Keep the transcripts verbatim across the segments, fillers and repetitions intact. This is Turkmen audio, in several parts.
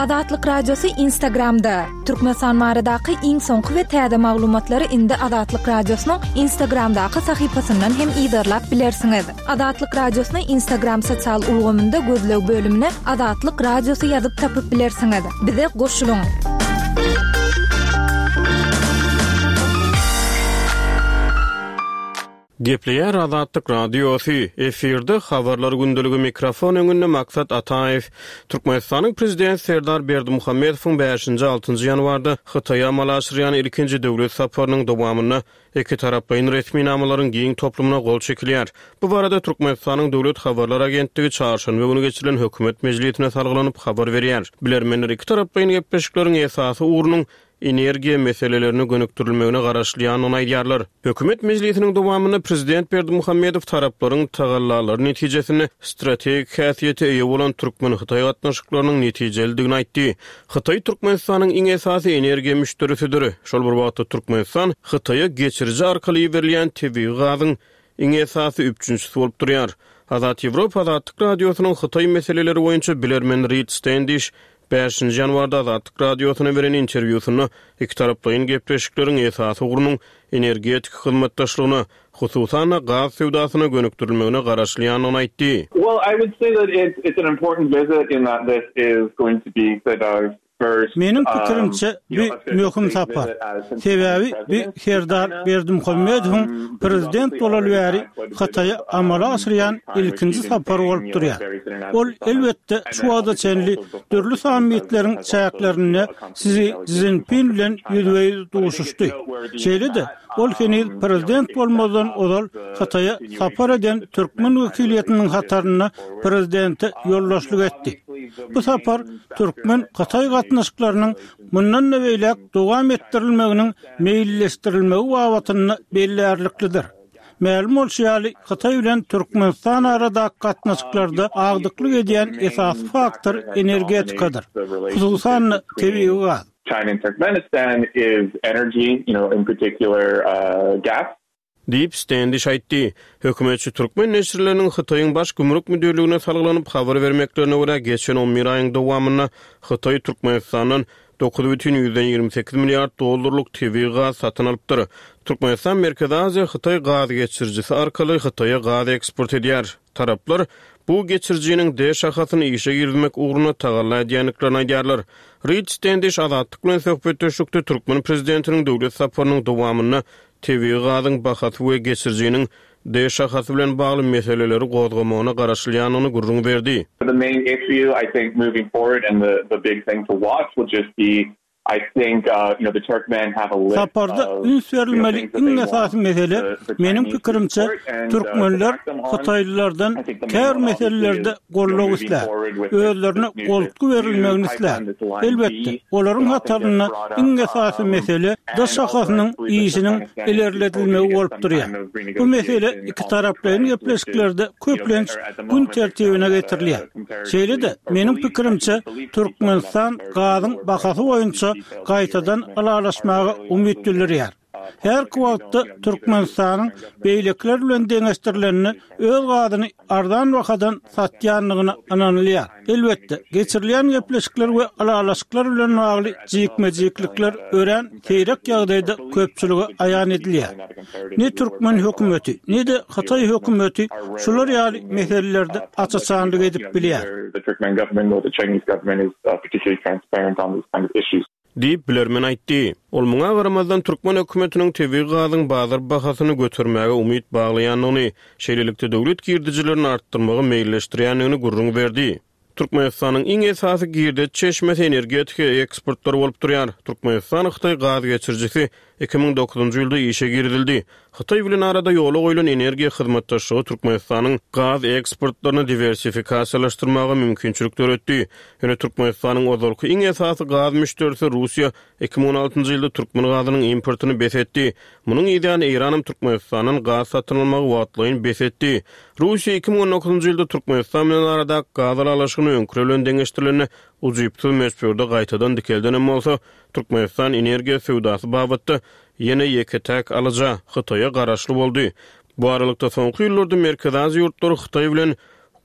Azatlyk Radiosy Instagramda. Türkmenistan baradaky iň soňky we täze maglumatlary indi Azatlyk Radiosynyň Instagramdaky sahypasyndan hem yzarlap bilersiňiz. Azatlyk Radiosyny Instagram sosial ulgamynda gözleg bölümine Azatlyk Radiosy ýazyp tapyp bilersiňiz. Bize goşulyň. Gepleýär Azatlyk Radiosy, efirde habarlar gündeligi mikrofon öňünde Maksat Ataýew. Türkmenistanyň Prezidenti Serdar Berdimuhamedowyň bäşinji altynjy ýanwarda Hytaýa amala aşyrýan ilkinji döwlet saparynyň dowamynda ikitaraplaýyn resminamalaryň giň toplumyna gol çekilýär. Bu barada Türkmenistanyň Döwlet habarlar agentligi çarşenbe güni geçirilen hökümet mejlisine salgylanyp habar berýär. Bilermenler ikitaraplaýyn gepleşikleriň esasy ugrunyň energiýa meselelerine gönükdirilmegine garaşylýandygyny aýdýarlar. Hökümet mejlisiniň dowamynda Prezident Berdimuhamedow taraplaryň tagallalary netijesinde strategik häsiýete eýe bolan türkmen-hytaý gatnaşyklarynyň netijelidigini aýtdy. Hytaý Türkmenistanyň iň esasy energiýa müşderisidir. Şol bir wagtda Türkmenistan Hytaýa geçiriji arkaly berilýän tebigy gazyň iň esasy üpjünçisi bolup durýar. Azat Ýewropa Azatlyk Radiosynyň Hytaý meseleleri boýunça bilermen Rid Stendiş bäşinji ýanwarda Azatlyk Radiosyna beren interwýusynda ikitaraplaýyn gepleşikleriň esasy ugrunyň energetik hyzmatdaşlygyna, hususan-da gaz söwdasyna gönükdirilmegine garaşylýandygyny aýtdy. Well, I would say that it's, it's an important visit in that this is going to be Serdar's Meniň pikirimçe, bu möhüm sapar. Sebäbi bu Serdar Berdimuhamedowyň prezident bolaly bäri Hytaýa amala aşyrýan ilkinji sapary bolup durýar. Ol, elbetde, şu wagta çenli dürli sammitleriň çäklerinde Si Szinpin bilen ýüzbe-ýüz duşuşdy. Şeýle-de, ol heniz prezident bolmazdan ozal Hytaýa sapar eden türkmen wekiliýetiniň hatarynda prezidente ýoldaşlyk etdi. Bu sapar türkmen-hytaý gatnaşyklarynyň mundan-da beýläk dowam etdirilmeginiň meýilleşdirilmegi babatynda bellärliklidir. Mälim bolşy ýaly, Hytaý bilen Türkmenistan aradaky gatnaşyklarda agdyklyk edýän esasy faktor energetikadyr, hususan-da tebigy gaz. China and Turkmenistan is energy, you know, in particular gas. Diýip, Stendiş aýtdy. Hökümetçi türkmen neşirleriniň Hytaýyň Baş gümrük müdirligine salgylanyp habar bermeklerine görä, geçen on bir aýyň dowamynda Hytaý Türkmenistandan dokuz bütin ýüzden ýigrimi sekiz milliard dollarlyk tebigy gaz satyn alypdyr. Türkmenistan Merkezi Aziýa Hytaý gaz geçirijisi arkaly Hytaýa gaz eksport edýär. Taraplar bu geçirijiniň D şahasyny işe girizmek ugrunda tagalla edýändiklerini aýdýarlar. Rid Stendiş Azatlyk bilen söhbetdeşlikde türkmen prezidentiniň döwlet saparynyň dowamynda tebigy gazyň bahasy we geçirijiniň D şahasy bilen bagly meseleleri gozgamagyna garaşylýandygyny gürrüň berdi. The main issue I think moving forward and the the big thing to watch will just be I think you know the Turkmen have a list Saparda of üns you know berilmeli things that iň they want esasy mesele, the the meniň Chinese to pikirimçe, support and to türkmenler back them on. hytaýlylardan I think the main käbir one obviously meselelerde is you know goldaw moving islär, forward with this özlerine this new this goltgy new berilmegini islär. pipeline, this line Elbetde, B olaryň that often gets hatarynda brought up iň esasy um mesele D and also I şahasynyň believe that işiniň Turkmenistan is hoping to ilerledilmegi get bolup some durýar. kind of Bu mesele renegotiation on the ikitaraplaýyn price, which is gepleşiklerde you know köplenç at the gün moment they're tertibine selling at a getirilýär. Şeýle-de, comparatively or meniň believed actually pikirimçe, believed to be selling at Türkmenistan comparatively gazyň lower bahasy prices. boýunça These details here gaýtadan recommend are ylalaşmaga fairly umyt unclear. bildirýär. Uh, Häzirki public and we don't, wagtda you know, neither the Türkmenistanyň Turkmen government beýlekiler bilen deňeşdirilende öz gazyny arzan bahadan satýandygyna ynanylýar. Elbetde, geçirilýän gepleşikler we ylalaşyklar bilen bagly jikme-jiklikler örän seýrek ýagdaýda köpçülige aýan edilýär. Ne türkmen hökümeti, ne-de hytaý hökümeti şular ýaly meselelerde aç-açanlyk edip bilýär. The Turkmen government nor the Chinese government is uh, particularly transparent on these kind of issues. Diýip, bilermen aýtdy. Ol muňa garamazdan türkmen hökümetiniň tebigy gazyň bazar bahasyny götermäge umyt baglaýandygyny, şeýlelikde döwlet girdejilerini artdyrmagy meýilleşdirýändigini gürrüň berdi. Türkmenistanyň iň esasy girdeji çeşmesi energetika eksportlary bolup durýar. Türkmenistan Hytaý gaz geçirijisi iki müň dokuzynjy ýylda işe girizildi. Hytaý bilen arada ýola goýlan energiýa hyzmatdaşlygy Türkmenistanyň gaz eksportlaryny diwersifikasiýalaşdyrmaga mümkinçilik döretdi. Ýöne Türkmenistanyň ozalky iň esasy gaz müşderisi Russiýa iki müň on altynjy ýylda türkmen gazynyň importyny bes etdi. Munuň ýany Eýranam Türkmenistandan gaz satyn almagy wagtlaýyn bes etdi. Russiýa iki müň on dokuzynjy ýylda Türkmenistan bilen aradaky gaz ylalaşygyny öňküler bilen deňeşdirilende ujypsyz möçberde gaýtadan dikeldenem bolsa, Türkmenistan energiýa söwdasy babatda ýene ýeke-täk alyja Hytaýa garaşly boldy. Bu aralykda soňky ýyllarda Merkezi Aziýa ýurtlary Hytaý bilen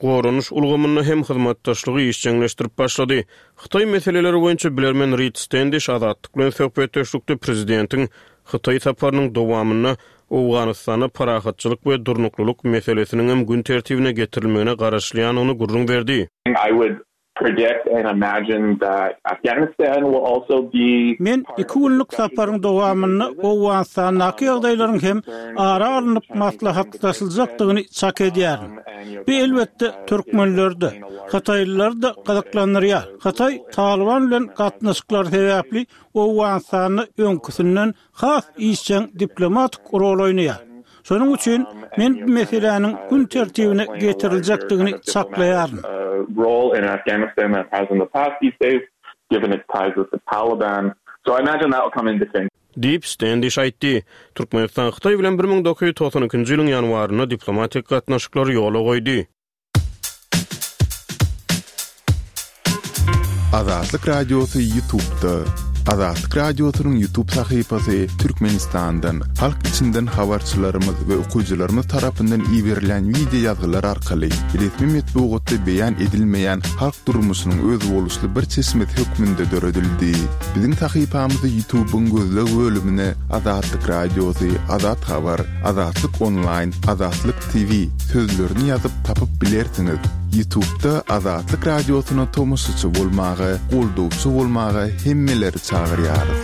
Goranyş ulgamynda hem hyzmatdaşlygy işjeňleşdirip başlady. Hytaý meseleleri boýunça bilermen Rid Stendiş Azatlyk bilen söhbetdeşlikde prezidentiň Hytaý saparynyň dowamynda Owganystanda parahatçylyk we durnuklylyk meselesiniň hem gün tertibine getirilmegine garaşylýandygyny gürrüň berdi. I would predict and imagine that Afghanistan will also be Men iki günlük saparyň dowamynda Owganystandaky ýagdaýlaryň hem ara alnyp maslahatlaşyljakdygyny çak edýärin. Bu elbetde türkmenleri-de, hytaýlylary-da gyzyklandyrýar. Hytaý Talyban bilen gatnaşyklar sebäpli Owganystanda öňküsinden has işjeň diplomatik rol oýnaýar. Şonuň üçin men bu meseläniň gün tertibine getiriljekdigini çaklaýaryn. role in Afghanistan that has in the past these days, given its ties with the Taliban. So I imagine that will come into things. Diýip Stendiş aýtdy. Türkmenistan Hytaý bilen bir müň dokuz ýüz togsan ikinji ýylyň ýanwarynda diplomatik gatnaşyklary ýola goýdy. Azatlyk Radiosy YouTube'da. Azatlyk Radiosynyň YouTube sahypasy Türkmenistandan, halk içinden habarçylarymyz we okyjylarymyz tarapyndan iberilen wideo ýazgylar arkaly resmi metbugatda beýan edilmeýän halk durmuşynyň özboluşly bir çeşmesi hökmünde döredildi. Biziň sahypamyzy YouTube'yň gözleg bölümine Azatlyk Radiosy, Azat Habar, Azatlyk Online, Azatlyk T V sözlerini ýazyp tapyp bilersiňiz. YouTube'da Azatlyk Radiosyna tomaşaçy bolmaga, goldawçy bolmaga hemmeleri çagyrýarys.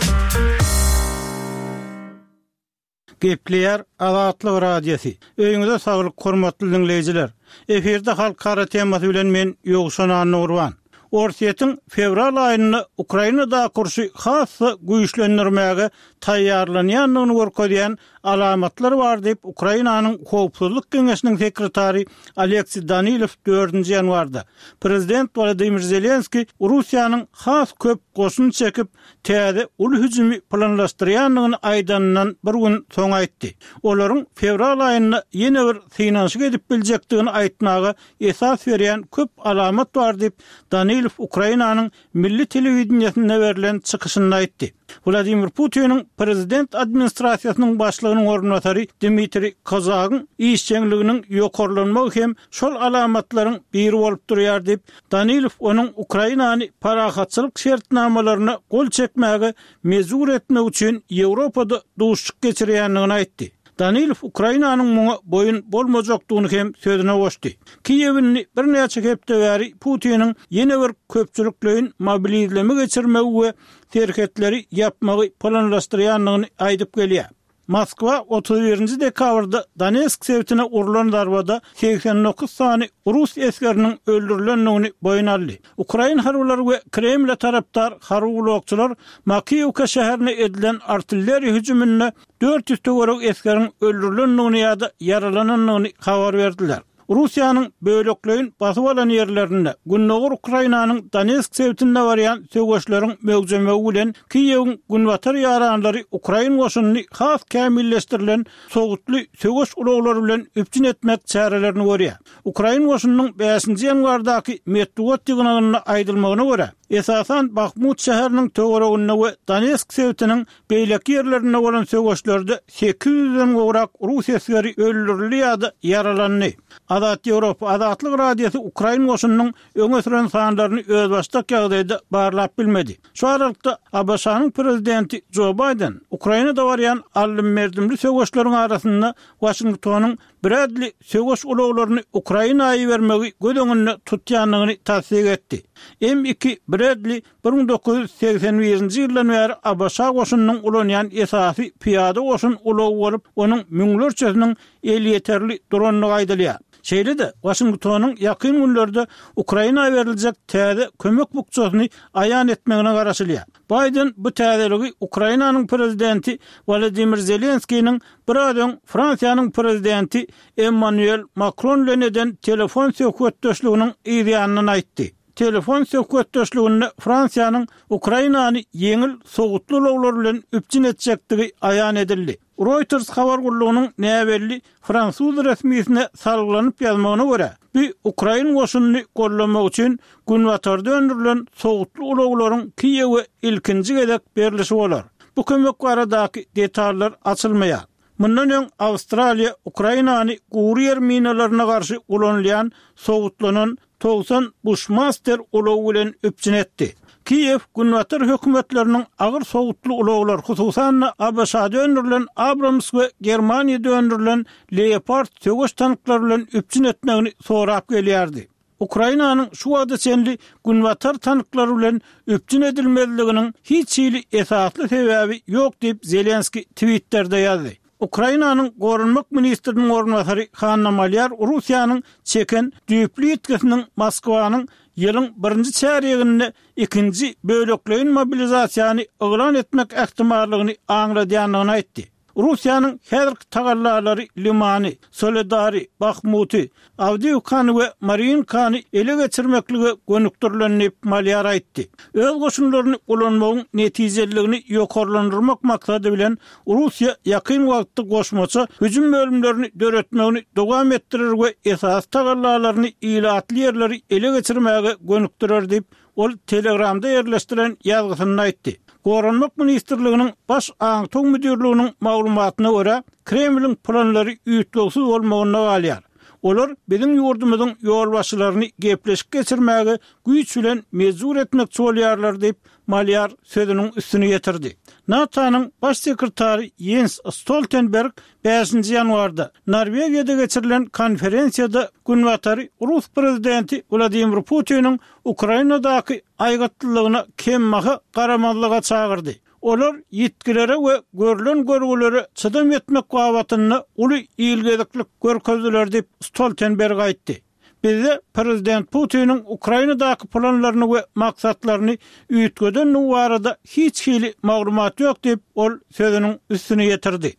Gepleýär Azatlyk Radiosy. Öýüňize saglyk hormatly dinleýjiler. Efirde halkara temasy bilen men Ýowşan Annagurban. Orsýetiň fewral aýynda Ukrainada urşy has-da güýçlendirmäge taýýarlanýandygyny görkezýän alamatlar bar diýip Ukrainanyň Howpsuzlyk Geňeşiniň sekretary Aleksiý Danilow dördünji ýanwarda Prezident Wladimir Zelenskiý Russiýanyň has köp goşun çekip täze uly hüjümi planlaşdyrýandygyny aýdanyndan bir gün soň aýtdy. Olaryň fewral aýynda ýene bir synanyşyk edip biljekdigini aýtmaga esas berýän köp alamat bar diýip Danilow Ukrainanyň milli telewideniýesinde berlen çykyşynda aýtdy. Wladimir Putiniň prezident administrasiýasynyň başlygynyň orunbasary Dmitriý Kozagyň işjeňliginiň ýokarlanmagy hem şol alamatlaryň biri bolup durýar diýip Danilow onuň Ukrainany parahatçylyk şertnamalaryna gol çekmäge mejbur etmek üçin Ýewropada duşuşyk geçirýändigini aýtdy. Danilow Ukrainanyň muňa boýun bolmajakdygyny hem sözüne goşdy. Kiýewini birnäçe hepde bäri Putiniň ýene bir köpçülikleýin mobilizleme geçirmegi we serhetleri ýapmagy planlaşdyrýandygyny aýdyp gelýär. Moskwa otuz birinji dekabrda Donetsk sebitine urlan zarbada seksen dokuz sany rus esgeriniň öldürilendigini boýun aldy. Ukrain harbylary we Kremle tarapdar harby ulagçylar Makiýewka şäherine edilen artilleriýa hüjüminde dört ýüz töwerek esgeriň öldürilendigini ýa-da ýaralanandygyny habar berdiler. Russiýanyň bölekleýin basyp alan ýerlerinde Gündogar Ukrainanyň Donetsk sebitinde barýan söweşleriň möwjemegi bilen Kiýewiň günbatar ýaranlary Ukrain goşunyny has kämilleşdirilen sowutly söweş ulaglary bilen üpjün etmek çärelerini görýär. Ukrain goşunynyň bäşinji ýanwardaky metbugat ýygnagynda aýdylmagyna görä, esasan Bahmut şäheriniň töwereginde we Donetsk sebitiniň beýleki ýerlerinde bolan söweşlerde sekiz ýüzden gowrak rus esgeri öldürildi ýa-da ýaralandy. Azat Ýewropa Azatlyk Radiosy Ukrain goşunynyň öňe süren sanlaryny özbaşdak ýagdaýda barlap bilmedi. Şu aralykda A B Ş-nyň prezidenti Jo Bayden Ukrainada barýan aldym-berdimli söweşleriň arasynda Waşingtonyň Bradley söweş ulaglaryny Ukrainaya ibermegi göz öňünde tutýandygyny tassyk etdi. M iki Bradley bir müň dokuz ýüz segsen birinji ýyldan bäri A B Ş goşunynyň ulanýan esasy pyýada goşun ulagy bolup, onuň müňlerçesiniň elýeterli durandygy aýdylýar. Şeýle-de Waşingtonyň ýakyn günlerde Ukraina beriljek täze kömek bukjasyny aýan etmegine garaşylýar. Bayden bu täzeligi Ukrainanyň prezidenti Wladimir Zelenskiniň biraz öň Fransiýanyň prezidenti Emmanuel Macron bilen eden telefon söhbetdeşliginiň yzýanyndan aýtdy. Telefon söhbetdeşliginde Fransiýanyň Ukrainany ýeňil sowutly ulaglar bilen üpjün etjekdigi aýan edildi. Reuters habar gullugynyň näbelli fransuz resmisine salgylanyp ýazmagyna görä, bu Ukrain goşunyny gollamak üçin günbatarda öndürilen sowutly ulaglaryň Kiýewe ilkinji gezek berlişi bolar. Bu kömek baradaky detallar açylmaýar. Mundan öň Awstraliýa Ukrainany gury ýer minalaryna garşy ulanylýan sowutlanan togsan Bushmaster ulagy bilen üpjün etdi. Kiýew Günbatar hökümetleriniň agyr sowutly ulaglar, hususan-da ABŞ-da öndürilen Abrams we Germaniýada öndürilen Leopard söweş tanklary bilen üpjün etmegini sorap gelýärdi. Ukrainanyň şu wagta çenli Günbatar tanklary bilen üpjün edilmezliginiň hiç hili esasly sebäbi ýok diýip, Zelenskiý Twitterde ýazdy. Ukrainanyň Goranmak ministriniň orunbasary Hanna Malýar Russiýanyň çeken düýpli ýitgisiniň Moskwanyň ýylyň birinji çärýeginde ikinji bölekleýin mobilizasiýany yglan etmek ähtimallygyny aňladýandygyny aýtdy. Russiýanyň häzirki tagallalary Limany, Soledary, Bahmuty, Awdiýewkany we Marýinkany ele geçirmeklige gönükdirilen diýip, Malýar aýtdy. Öz goşunlaryny ulanmagyň netijeliligini ýokarlandyrmak maksady bilen, Russiýa ýakyn wagtda goşmaça hüjüm bölümlerini döretmegini dowam etdirer we esasy tagallalaryny ilatly ýerleri ele geçirmäge gönükdirer diýip, ol Telegramda ýerleşdiren ýazgysynda aýtdy. Goranmak ministrliginiň Baş aňtaw müdirliginiň maglumatyna görä, Kremliň planlary üýtgewsiz bolmagynda galýar. Olar biziň ýurdumyzyň ýolbaşçylaryny gepleşik geçirmäge güýç bilen mejbur etmekçi bolýarlar diýip, Malýar sözüniň üstüni ýetirdi. NATO-nyň Baş sekretary Ýens Stoltenberg bäşinji ýanwarda Norwegiýada geçirilen konferensiýada Günbatary rus prezidenti Wladimir Putiniň Ukrainadaky aýgytlylygyna kembaha garamazlyga çagyrdy. Olar ýitgilere we görlen görgülere çydam etmek babatynda uly ilgeziklik görkezdiler diýip, Stoltenberg aýtdy. Bizde prezident Putiniň Ukrainadaky planlaryny we maksatlaryny üýtgedendigi barada hiç hili maglumat ýok diýip, ol sözüniň üstüni ýetirdi.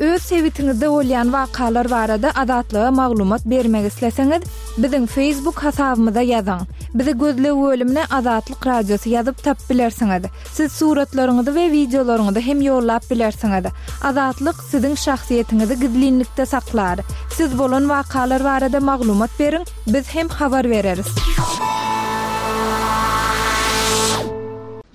Öz sebitiňizde bolýan wakalar barada Azatlyga maglumat bermek isleseňiz, biziň Facebook hasabymyza ýazyň. Bizi gözleg bölümine Azatlyk Radiosy ýazyp tapyp bilersiňiz. Siz suratlaryňyzy we wideolaryňyzy hem ýollap bilersiňiz. Azatlyk siziň şahsyýetiňizi gizlinlikde saklar. Siz bolan wakalar barada maglumat beriň, biz hem habar bereris.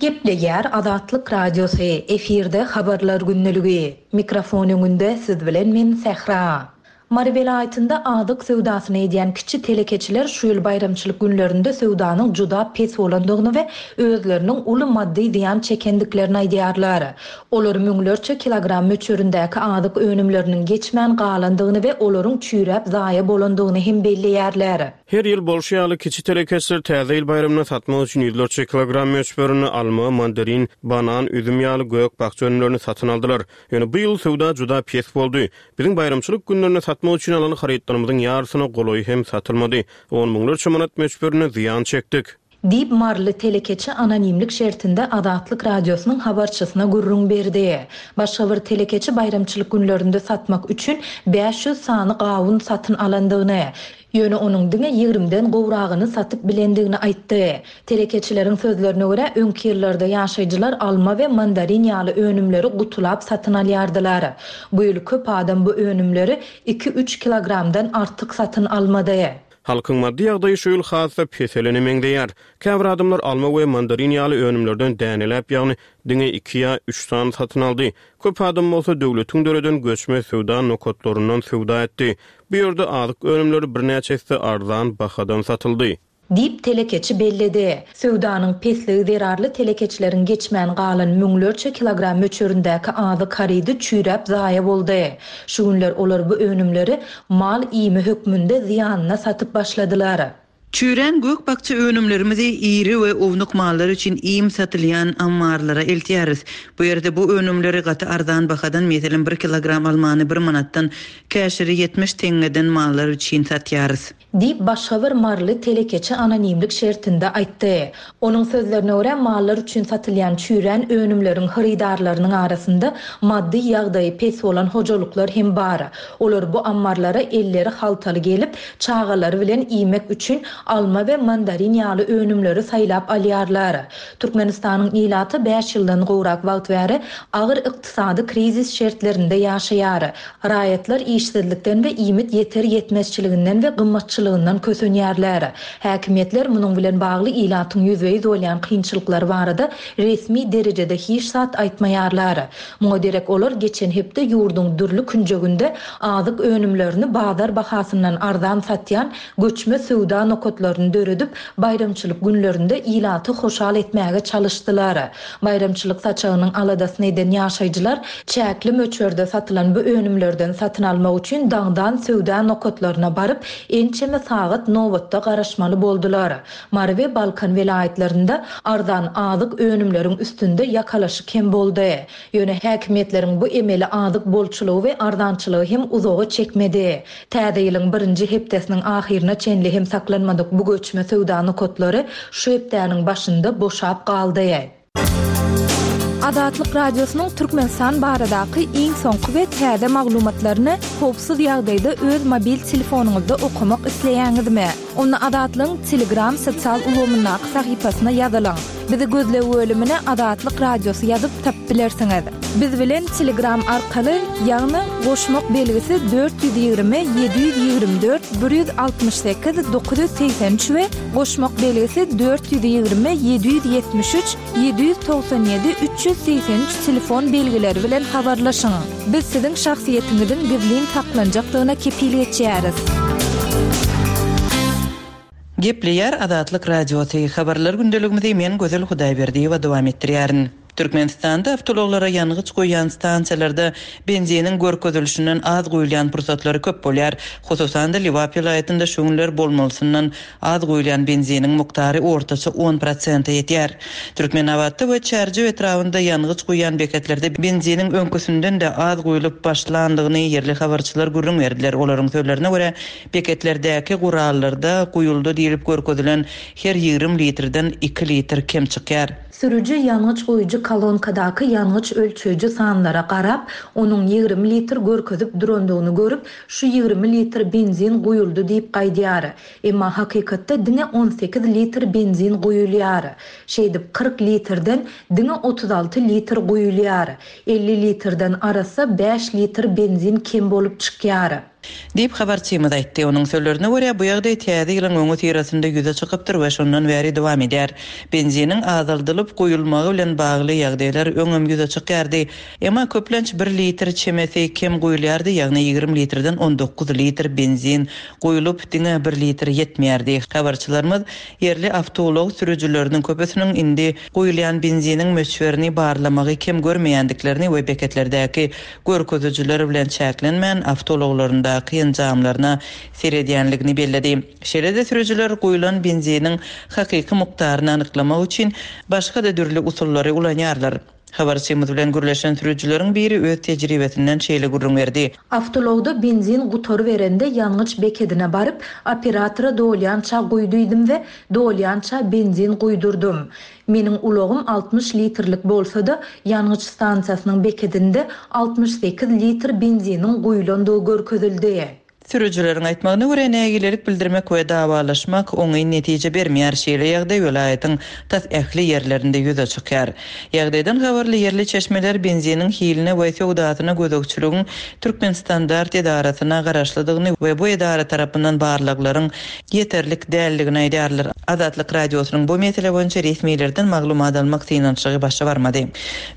Gepleýär Azatlyk Radiosy, efirde Habarlar gündeligi. Mikrofon öňünde siz bilen men Sähra. Mary welaýatynda azyk söwdasyny edýän kiçi telekeçiler şu ýyl baýramçylyk günlerinde söwdanyň juda pes bolandygyny we özleriniň uly maddy zyýan çekendiklerini aýdýarlar. Olar müňlerçe kilogram möçberindäki azyk önümleriniň geçmän galandygyny we olaryň çüýräp zaýa bolandygyny hem belleýärler. Her ýyl bolşy ýaly, kiçi telekeçiler Täze ýyl baýramyna satmak üçin ýüzlerçe kilogram möçberinde alma, mandarin, banan, üzüm ýaly gök-bakja önümlerini satyn aldylar. Ýöne bu ýyl söwda juda pes boldy. Biziň baýramçylyk günlerinde satmak üçin alan harytlarymyzyň ýarysyna golaýy hem satylmady. On müňlerçe manat möçberinde zyýan çekdik. Diýip, maryly telekeçi anonimlik şertinde Azatlyk Radiosynyň habarçysyna gürrüň berdi. Başga bir telekeçi baýramçylyk günlerinde satmak üçin bäş ýüz sany gawun satyn alandygyny, ýöne onuň diňe ýigrimiden gowragyny satyp bilendigini aýtdy. Telekeçileriň sözlerine görä, öňki ýyllarda ýaşaýjylar alma we mandarin ýaly önümleri gutulap satyn alýardylar. Bu ýyl köp adam bu önümleri iki-üç kilogramdan artyk satyn almady. Halkyň maddy ýagdaýy şu ýyl has-da peselene meňzeýär. Käbir adamlar alma we mandarin ýaly önümlerden däneläp, ýagny diňe iki ýa üç sany satyn aldy. Köp adam bolsa döwletiň döreden göçme söwda nokatlaryndan söwda etdi. Bu ýerde azyk önümleri birnäçe esse arzan bahadan satyldy. Diýip, telekeçi belledi. Söwdanyň pesligi zerarly telekeçileriň geçmän galan müňlerçe kilogram möçberindäki azyk harydy çüýräp zaýa boldy. Şu günler olar bu önümleri mal iými hökmünde zyýanyna satyp başladylar. Çüýrän gök-bakja önümlerimizi iri we ownuk mallar üçin iým satylýan ammarlara eltýäris. Bu ýerde bu önümleri gaty arzan bahadan, meselem, bir kilogram almany bir manatdan, käşiri ýetmiş teňňeden mallar üçin satýarys. Diýip, başga bir maryly telekeçi anonimlik şertinde aýtdy. Onuň sözlerine görä, mallar üçin satylýan çüýrän önümleriň hyrydarlarynyň arasynda maddy ýagdaýy pes bolan hojalyklar hem bar. Olar bu ammarlara elleri haltaly gelip, çagalary bilen iýmek üçin alma we mandarin ýaly önümleri saýlap alýarlar. Türkmenistanyň ilaty bäş ýyldan gowrak wagt bäri agyr ykdysady krizis şertlerinde ýaşaýar. Raýatlar işsizlikden we iýmit ýeter-ýetmezçiliginden we gymmatçylykdan gytçylygyndan kösenýärler. Häkimiýetler munuň bilen bagly ilatyň ýüzbe-ýüz bolýan kynçylyklary barada resmi derejede hiç zat aýtmaýarlar. Muňa derek olar geçen hepde ýurduň dürli künjeginde azyk önümlerini bazar bahasyndan arzan satýan göçme söwda nokatlaryny döredip, baýramçylyk günlerinde ilaty hoşal etmäge çalyşdylar. Baýramçylyk saçagynyň aladasyny eden ýaşaýjylar çäkli möçberde satylan bu önümlerden satyn almak üçin daňdan söwda nokatlaryna baryp, ençeme sagat nobatda garaşmaly boldular. Mary we Balkan welaýatlarynda arzan azyk önümleriň üstünde ýakalaşyk hem boldy. Ýöne häkimiýetleriň bu emeli azyk bolçulygy we arzançylygy hem uzaga çekmedi. Täze ýylyň birinji hepdesiniň ahyryna çenli hem saklanmadyk bu göçme söwda nokatlary şu hepdäniň başynda boşap galdy. Azatlyk Radiosynyň Türkmenistan baradaky iň soňky we täze maglumatlaryny howpsuz ýagdaýda öz mobil telefonyňyzda okamak isleýäňizmi? Onda Azatlygyň Telegram sosial ulgamyndaky sahypasyna ýazylyň. Bizi gözleg bölümine Azatlyk Radiosy ýazyp tapyp bilersiňiz. Biz bilen Telegram arkaly, ýagny goşmak belgisi dört ýüz ýigrimi ýedi ýüz ýigrimi dört bir ýüz altmyş sekiz dokuz ýüz segsen üç we goşmak belgisi dört ýüz ýigrimi ýedi ýüz ýetmiş üç ýedi ýüz togsan ýedi üç ýüz segsen üç telefon belgileri bilen habarlaşyň. Biz siziň şahsyýetiňiziň gizlin saklanjakdygyna kepil geçýäris. Gepleýär Azatlyk Radiosy. Habarlar gündeligimizi men Gözel Hudaýberdiýewa dowam etdirýärin. Türkmenistanda awtoulaglara ýangyç goýýan stansiýalarda benziniň görkezilişinden az goýulýan pursatlary köp bolýar. Hususan-da Lebap welaýatynda şu günler bolmalysyndan az goýulýan benziniň mukdary ortaça on prosente ýetýär. Türkmenabatda we Çärjew etrabynda ýangyç goýýan beketlerde benziniň öňküsinden-de az goýulyp başlandygyny ýerli habarçylar gürrüň berdiler. Olaryň sözlerine görä beketlerdäki gurallarda goýuldy diýilip görkezilen her ýigrimi litrden iki litr kem çykýar. Sürüji ýangyç goýujy kolonkadaky ýangyç ölçeýji sanlara garap, onuň ýigrimi litr görkezip durandygyny görüp, şu ýigrimi litr benzin goýuldy diýip gaýdýar. Emma hakykatda diňe on sekiz litr benzin goýulýar. Şeýdip kyrk litrden diňe otuz alty litr goýulýar. elli litrden arassa bäş litr benzin kem bolup çykýar. Diýip habarçymyz aýtdy. Onuň sözlerine görä bu ýagdaý täze ýylyň öňi syrasynda ýüze çykypdyr we şondan bäri dowam edýär. Benziniň azaldylyp goýulmagy bilen bagly ýagdaýlar öňem ýüze çykýardy. Emma köplenç bir litr çemesi kem goýulýardy, ýagny ýigrimi litrden on dokuz litr benzin goýulyp diňe bir litr ýetmeýärdi. Habarçylarymyz ýerli awtoulag sürüjileriniň köpüsiniň indi goýulýan benziniň möçberini barlamagy kem görmeýändiklerini we beketlerdäki görkezijiler bilen çäklenmän awtoulaglarynda enjamlaryna seredýänligini belledi. Şeýle-de sürüjiler goýulan benziniň hakyky mukdaryny anyklamak üçin başga-da dürli usullary ulanýarlar. Habarçymyz bilen gürleşen sürüjileriň biri öz tejribesinden şeýle gürrüň berdi. Awtoulagda benzin gutary berende ýangyç bekedine baryp, operatora dolýança goýduydym we dolýança benzin goýdurdum. Meniň ulagym altmyş litrlik bolsa-da, ýangyç stansiýasynyň bekedinde altmyş sekiz litr benziniň goýulandygy görkezildi. Sürüjileriň aýtmagyna görä nägilelik bildirmek we dawalaşmak oňyn netije bermeýär. Şeýle ýagdaý welaýatyň tas ähli ýerlerinde ýüze çykýar. Ýagdaýdan habarly ýerli çeşmeler benziniň hiline we söwdasyna gözegçiligiň Türkmenstandart edarasyna garaşlydygyny we bu edara tarapyndan barlaglaryň ýeterlik däldigini aýdýarlar. Azatlyk Radiosynyň bu mesele boýunça resmilerden maglumat almak synanyşygy başa barmady.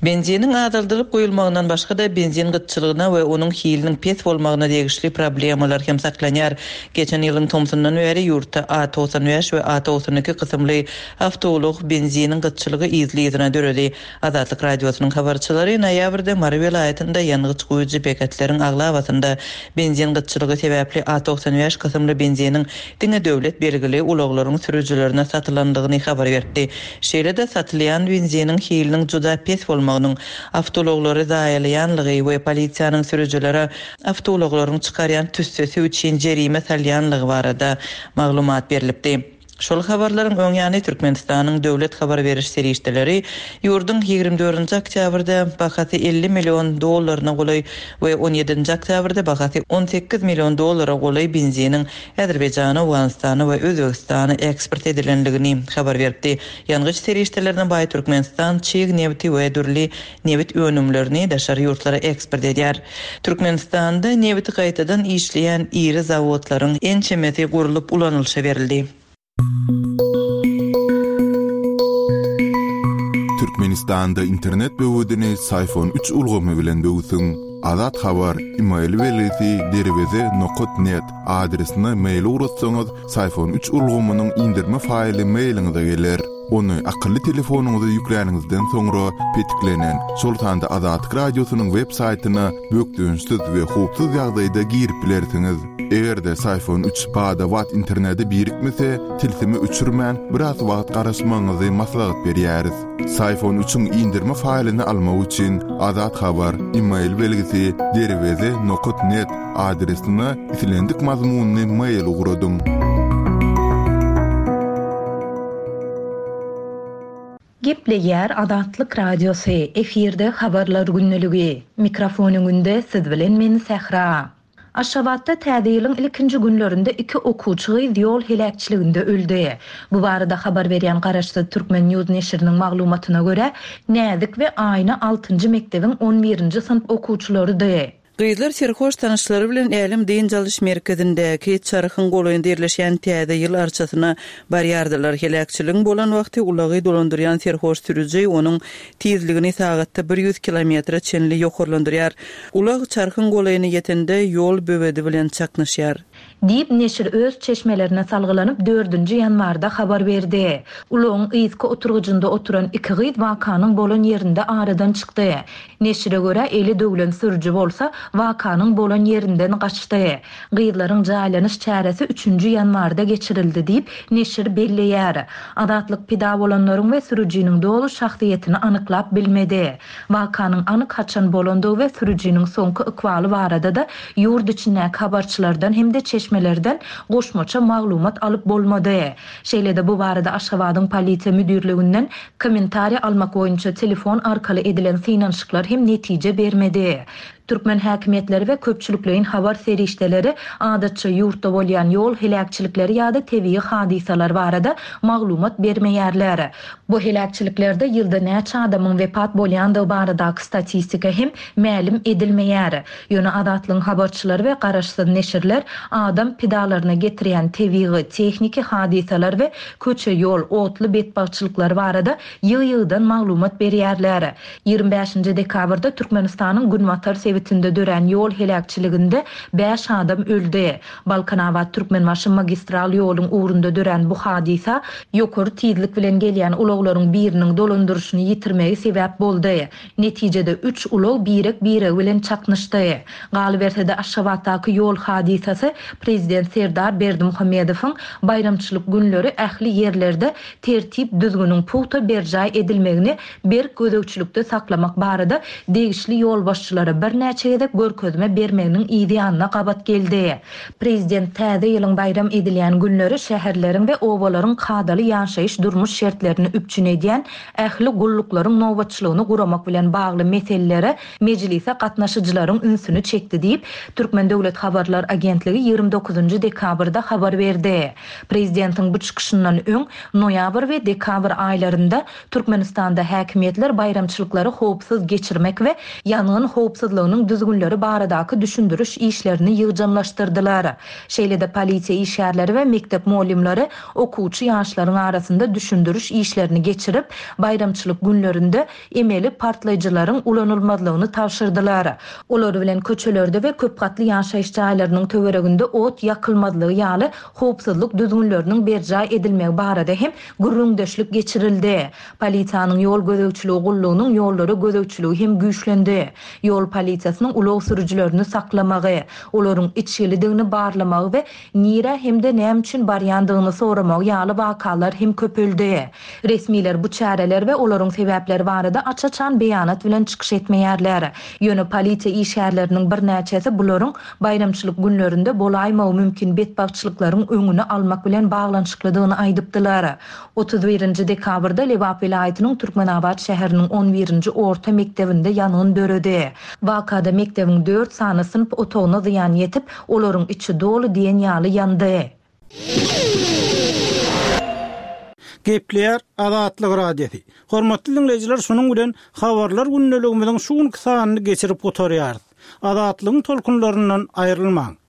Benziniň azaldylyp goýulmagyndan başga-da benzin gytçylygyna we onuň hiliniň pes bolmagyna degişli problemalar hem saklanýar. Geçen ýylyň tomsundan bäri ýurtda A togsan bäş we A togsan iki kysymly awtoulag benziniň gytçylygy yzly-yzyna döredi. Azatlyk Radiosynyň habarçylary noýabrda Mary welaýatynda ýangyç goýujy beketleriň aglabasynda benzin gytçylygy sebäpli A togsan bäş kysymly benziniň diňe döwlet belgili ulaglaryň sürüjilerine satylandygyny habar berdi. Şeýle-de satylýan benziniň hiliniň juda pes bolmagynyň awtoulaglary zaýalaýanlygy we polisiýanyň sürüjilere awtoulaglaryň çykarýan tüssesi üçin jerime salýanlygy barada maglumat berilipdi. Şol habarlaryň öň ýany Türkmenistanyň döwlet habar beriş serişdeleri ýurduň ýigrimi dördünji oktýabrda bahasy elli million dollaryna golaý we on ýedinji oktýabrda bahasy on sekiz million dollara golaý benziniň Azerbaýjana, Owganystana we Özbegistana eksport edilenligini habar berdi. Ýangyç serişdelerine baý Türkmenistan çig nebiti we dürli nebit önümlerini daşary ýurtlara eksport edýär. Türkmenistanda nebiti gaýtadan işleýän iri zawodlaryň ençemesi gurlup ulanylyşa berildi. Türkmenistanda internet böwedini Syfon üç ulgamy bilen böwsüň. Azat Habar, e-mail belgisi derweze nokat net adresine mail ugratsaňyz, Syfon üç ulgamynyň indirme faýly mailiňize geler. Ony akylly telefonyňyza ýükläniňizden soňra petiklenen, şol sanda Azatlyk radiosynyň web saýtyna bökdençsiz we howpsuz ýagdaýda girip bilersiňiz. Eger-de Syfon üç bada-bat internete birikmese, tilsimi öçürmän biraz wagt garaşmagyňyzy maslahat berýäris. Syfon üçiň indirme faýlyny almak üçin Azat Habar, e-mail belgisi derweze nokat net adresine islendik mazmunyny mail ugradyň. Gepleýär Azatlyk Radiosy, efirde habarlar günlügi. Mikrofon öňünde siz bilen men Sähra. Aşgabatda täze ýylyň ilkinji günlerinde iki okuwçy gyz ýol heläkçiliginde öldi. Bu barada habar berýän Garaşsyz Türkmen News neşiriniň maglumatyna görä, Näzik we Aýna altynjy mekdebiň on birinji synp okuwçylarydy. Gyzlar serhoş tanyşlary bilen Älem dynç alyş merkezindäki Çarhyň golaýynda ýerleşýän täze ýyl arçasyna barýardylar. Heläkçiligiň bolan wagty ulagy dolandyrýan serhoş sürüji onuň tizligini sagatda bir ýüz kilometre çenli ýokarlandyrýar. Ulag Çarhyň golaýyna ýetende ýol böwedi bilen çaknyşýar. Diýip neşir öz çeşmelerine salgylanyp dördünji ýanwarda habar berdi. Ulagyň yzky oturgyjynda oturan iki gyz wakanyň bolan ýerinde aradan çykdy. Neşire görä eli döwlen sürüji bolsa wakanyň bolan ýerinden gaçdy. Gyzlaryň jaýlanyş çäresi üçünji ýanwarda geçirildi diýip neşir belleýär. Azatlyk pida bolanlaryň we sürüjiniň doly şahsyýetini anyklap bilmedi. Wakanyň anyk haçan bolandygy we sürüjiniň soňky ykbaly barada da ýurt içindäki habarçylardan hem-de çeşmelerden goşmaça maglumat alyp bolmady. Şeýle-de bu barada Aşgabadyň polisiýa müdirliginden kommentariýa almak boýunça telefon arkaly edilen synanyşyklar hem netije bermedi. Türkmen häkimiýetleri we köpçülikleýin habar serişdeleri adatça ýurtda bolýan ýol heläkçilikleri ýa-da tebigy hadysalar barada maglumat bermeýärler. Bu heläkçiliklerde ýylda näçe adamyň wepat bolýandygy baradaky statistika hem mälim edilmeýär. Ýöne Azatlygyň habarçylary we garaşsyz neşirler adam pidalaryna getirýän tebigy, tehniki hadysalar we köçe ýol, otly betbagtçylyklary barada ýygy-ýygydan maglumat berýärler. Ýigrimi bäşinji dekabrda Türkmenistanyň Günbatar sebitinde dörän ýol heläkçiliginde bäş adam öldi. Balkanabat Türkmenbaşy magistral ýoluň ugrunda dörän bu hadysa ýokary tizlik bilen gelýän ulaglaryň biriniň dolandyryşyny ýitirmegi sebäp boldy. Netijede üç ulag birek-biregi bilen çaknyşdy. Galyberse-de Aşgabatdaky ýol hadysasy Prezident Serdar Berdimuhamedowyň baýramçylyk günleri ähli ýerlerde tertip düzgüniň pugta berjaý edilmegini berk gözegçilikde saklamak barada degişli ýolbaşçylara birnäçe gezek görkezme bermeginiň ýanyna gabat geldi. Prezident täze ýylyň baýram edilýän günleri şäherleriň we obalaryň kadaly ýaşaýyş durmuş şertlerini üpjün edýän ähli gulluklaryň nobatçylygyny guramak bilen bagly meselelere mejlise gatnaşyjylaryň ünsüni çekdi diýip, Türkmen Döwlet Habarlar Agentligi ýigrimi dokuzynjy dekabrda habar berdi. Prezidentiň bu çykyşyndan öň noýabr we dekabr aýlarynda Türkmenistanda häkimiýetler baýramçylyklary howpsuz geçirmek we ýangyn howpsuzlygynyň düzgünleri baradaky düşündiriş işlerini ýygjamlaşdyrdylar. Şeýle-de polisiýa işgärleri we mektep mugallymlary okuwçy ýaşlaryň arasynda düşündiriş işlerini geçirip, baýramçylyk günlerinde emeli partlaýjylaryň ulanylmazlygyny tabşyrdylar. Olar bilen köçelerde we köp gatly ýaşaýyş jaýlarynyň töwereginde ot ýakylmazlygy ýaly howpsuzlyk düzgünleriniň berjaý edilmegi barada hem gürrüňdeşlik geçirildi. Polisiýanyň ýol gözegçiligi gullugynyň ýollara gözegçiligi hem güýçlendi. Ýol polisiýasynyň polisiýasynyň ulag sürüjilerini saklamagy, olaryň içgilidigini barlamagy we nirä hem-de näme üçin barýandygyny soramagy ýaly wakalar hem köpeldi. Resmiler bu çäreler we olaryň sebäpleri barada aç-açan beýanat bilen çykyş etmeýärler. Ýöne polisiýa işgärleriniň birnäçesi bularyň baýramçylyk günlerinde bolaýmagy mümkin betbagtçylyklaryň öňüni almak bilen baglanyşyklydygyny aýdypdylar. Otuz birinji dekabrda Lebap welaýatynyň Türkmenabat şäheriniň on birinji orta mekdebinde ýangyn döredi. Wakada mekdebiň dört sany synp otagyna zyýan ýetip, olaryň içi doly diýen ýaly ýandy. Gepleýär Azatlyk Radiosy. Hormatly diňleýjiler, şunuň bilen habarlar gündeligimiziň şu günki sanyny geçirip gutarýarys. Azatlygyň tolkunlaryndan aýrylmaň.